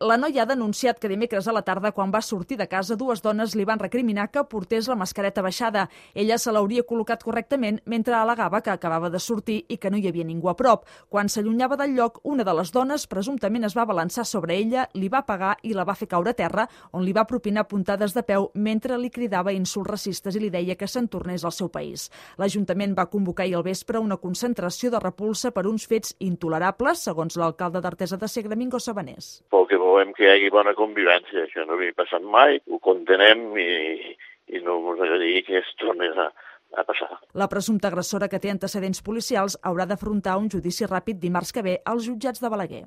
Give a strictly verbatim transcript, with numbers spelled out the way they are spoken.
La noia ha denunciat que dimecres a la tarda, quan va sortir de casa, dues dones li van recriminar que portés la mascareta baixada. Ella se l'hauria col·locat correctament mentre al·legava que acabava de sortir i que no hi havia ningú a prop. Quan s'allunyava del lloc, una de les dones presumptament es va balançar sobre ella, li va pegar i la va fer caure a terra, on li va propinar puntades de peu mentre li cridava insults racistes i li deia que se'n tornés al seu país. L'Ajuntament va convocar ahir al vespre una concentració de repulsa per uns fets intolerables, segons l'alcalde d'Artesa de Segre, Mingo Sabanés. Perquè volem que hi hagi bona convivència, això no havia passat mai, ho contenem i, i no ens agradaria que es tornés a, a passar. La presumpta agressora, que té antecedents policials, haurà d'afrontar un judici ràpid dimarts que ve als jutjats de Balaguer.